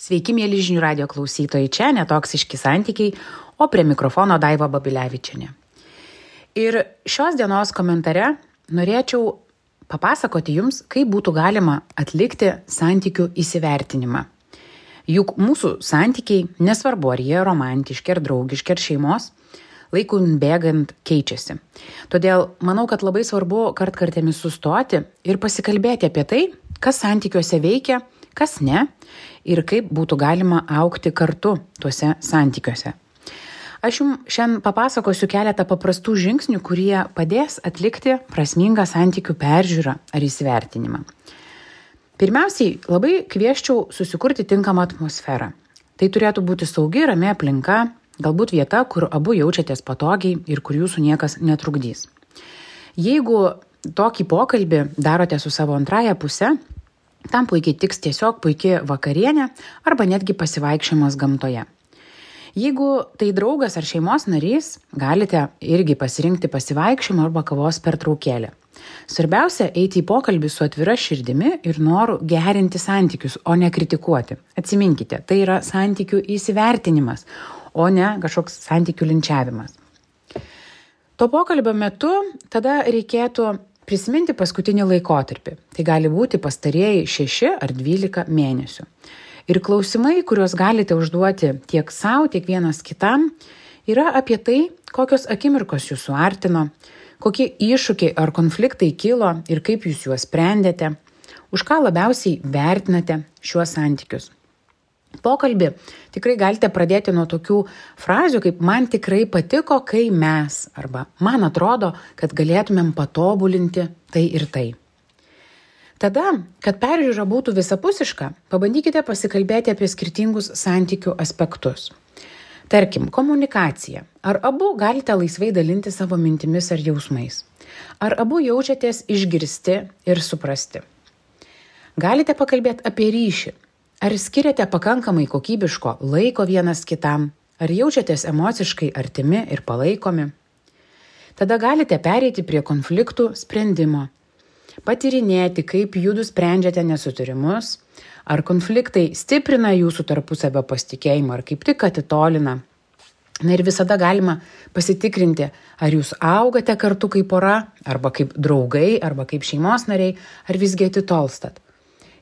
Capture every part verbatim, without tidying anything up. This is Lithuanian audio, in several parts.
Sveiki, mėly žinių radio klausytojai, čia netoksiški santykiai, o prie mikrofono Daiva Babilevičienė. Ir šios dienos komentare norėčiau papasakoti jums, kaip būtų galima atlikti santykių įsivertinimą. Juk mūsų santykiai, nesvarbu ar jie romantiški, ar draugiški, ar šeimos, laikui bėgant keičiasi. Todėl manau, kad labai svarbu kartkartėmis sustoti ir pasikalbėti apie tai, kas santykiuose veikia, kas ne ir kaip būtų galima augti kartu tuose santykiuose. Aš jums šiandien papasakosiu keletą paprastų žingsnių, kurie padės atlikti prasmingą santykių peržiūrą ar įsivertinimą. Pirmiausiai, labai kvieščiau susikurti tinkamą atmosferą. Tai turėtų būti saugi, rami aplinka, galbūt vieta, kur abu jaučiatės patogiai ir kur jūsų niekas netrukdys. Jeigu tokį pokalbį darote su savo antraja puse, tam puikiai tiks tiesiog puikia vakarienė arba netgi pasivaikščiojimas gamtoje. Jeigu tai draugas ar šeimos narys, galite irgi pasirinkti pasivaikščiojimą arba kavos pertraukėlę. Svarbiausia eiti į pokalbį su atvira širdimi ir noru gerinti santykius, o ne kritikuoti. Atsiminkite, tai yra santykių įsivertinimas, o ne kažkoks santykių linčiavimas. To pokalbio metu tada reikėtų prisiminti paskutinį laikotarpį. Tai gali būti pastarieji šeši ar dvylika mėnesių. Ir klausimai, kuriuos galite užduoti tiek savo, tiek vienas kitam, yra apie tai, kokios akimirkos jūs suartino, kokie iššūkiai ar konfliktai kilo ir kaip jūs juos sprendėte, už ką labiausiai vertinate šiuos santykius. Pokalbį tikrai galite pradėti nuo tokių frazių, kaip man tikrai patiko, kai mes, arba man atrodo, kad galėtumėm patobulinti tai ir tai. Tada, kad peržiūra būtų visapusiška, pabandykite pasikalbėti apie skirtingus santykių aspektus. Tarkim, komunikacija. Ar abu galite laisvai dalinti savo mintimis ar jausmais? Ar abu jaučiatės išgirsti ir suprasti? Galite pakalbėti apie ryšį. Ar skiriate pakankamai kokybiško laiko vienas kitam? Ar jaučiatės emociškai artimi ir palaikomi? Tada galite pereiti prie konfliktų sprendimo. Patyrinėti, kaip judu sprendžiate nesutarimus, ar konfliktai stiprina jūsų tarpusavio pasitikėjimą, ar kaip tik atitolina. Na ir visada galima pasitikrinti, ar jūs augate kartu kaip pora, arba kaip draugai, arba kaip šeimos nariai, ar visgi atitolstat.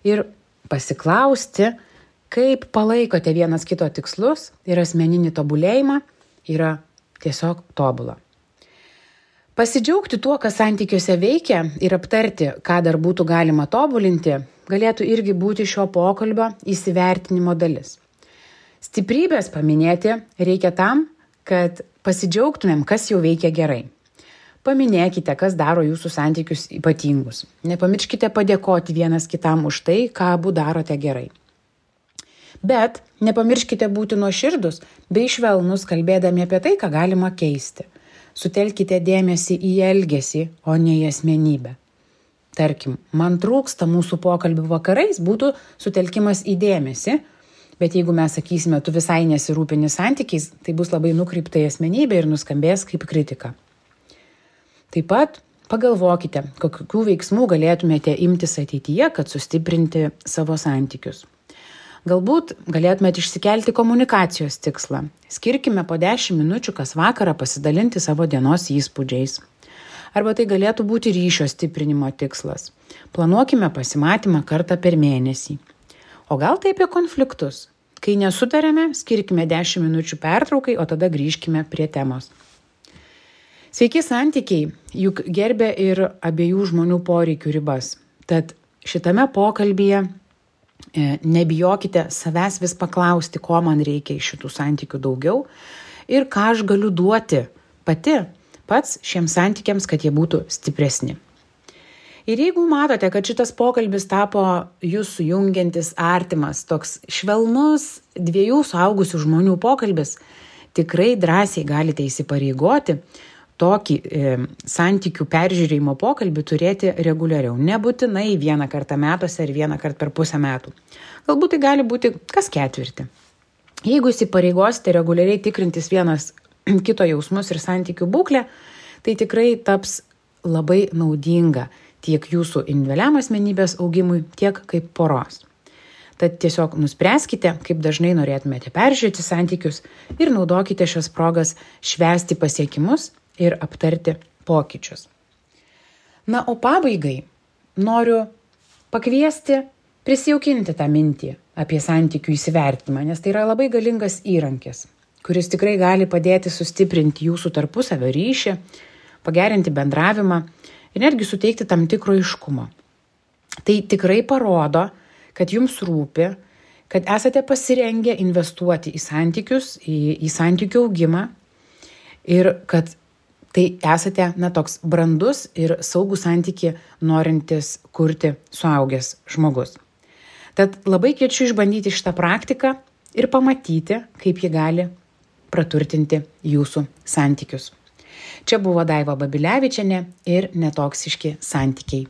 Ir pasiklausti, kaip palaikote vienas kito tikslus ir asmeninį tobulėjimą, yra tiesiog tobula. Pasidžiaugti tuo, kas santykiuose veikia ir aptarti, ką dar būtų galima tobulinti, galėtų irgi būti šio pokalbio įsivertinimo dalis. Stiprybės paminėti reikia tam, kad pasidžiaugtumėm, kas jau veikia gerai. Paminėkite, kas daro jūsų santykius ypatingus. Nepamirškite padėkoti vienas kitam už tai, ką abu darote gerai. Bet nepamirškite būti nuoširdus bei švelnus, kalbėdami apie tai, ką galima keisti. Sutelkite dėmesį į elgesį, o ne į asmenybę. Tarkim, man trūksta mūsų pokalbių vakarais, būtų sutelkimas į dėmesį, bet jeigu mes sakysime, tu visai nesirūpini santykiais, tai bus labai nukreipta į asmenybę ir nuskambės kaip kritika. Taip pat pagalvokite, kokių veiksmų galėtumėte imtis ateityje, kad sustiprinti savo santykius. Galbūt galėtumėte išsikelti komunikacijos tikslą. Skirkime po dešimt minučių kas vakarą pasidalinti savo dienos įspūdžiais. Arba tai galėtų būti ryšio stiprinimo tikslas. Planuokime pasimatymą kartą per mėnesį. O gal tai apie konfliktus? Kai nesutarėme, skirkime dešimt minučių pertraukai, o tada grįžkime prie temos. Sveiki santykiai, juk gerbia ir abiejų žmonių poreikių ribas. Tad šitame pokalbyje nebijokite savęs vis paklausti, ko man reikia iš šitų santykių daugiau ir ką aš galiu duoti pati pats šiems santykiams, kad jie būtų stipresni. Ir jeigu matote, kad šitas pokalbis tapo jūs sujungiantis artimas, toks švelnus dviejų suaugusių žmonių pokalbis, tikrai drąsiai galite įsipareigoti tokį e, santykių peržiūrėjimo pokalbį turėti reguliariau. Nebūtinai vieną kartą metuose ar vieną kartą per pusę metų. Galbūt tai gali būti kas ketvirtį. Jeigu įsipareigosite reguliariai tikrintis vienas kito jausmus ir santykių būklę, tai tikrai taps labai naudinga tiek jūsų individualiam asmenybės augimui, tiek kaip poros. Tad tiesiog nuspręskite, kaip dažnai norėtumėte peržiūrėti santykius ir naudokite šias progas švęsti pasiekimus ir aptarti pokyčius. Na, o pabaigai noriu pakviesti prisijaukinti tą mintį apie santykių įsivertinimą, nes tai yra labai galingas įrankis, kuris tikrai gali padėti sustiprinti jūsų tarpusavio ryšį, pagerinti bendravimą ir netgi suteikti tam tikro aiškumo. Tai tikrai parodo, kad jums rūpi, kad esate pasirengę investuoti į santykius, į, į santykių augimą ir kad tai esate na, toks brandus ir saugų santykį norintis kurti suaugęs žmogus. Tad labai kviečiu išbandyti šitą praktiką ir pamatyti, kaip ji gali praturtinti jūsų santykius. Čia buvo Daiva Babilevičienė ir Netoksiški santykiai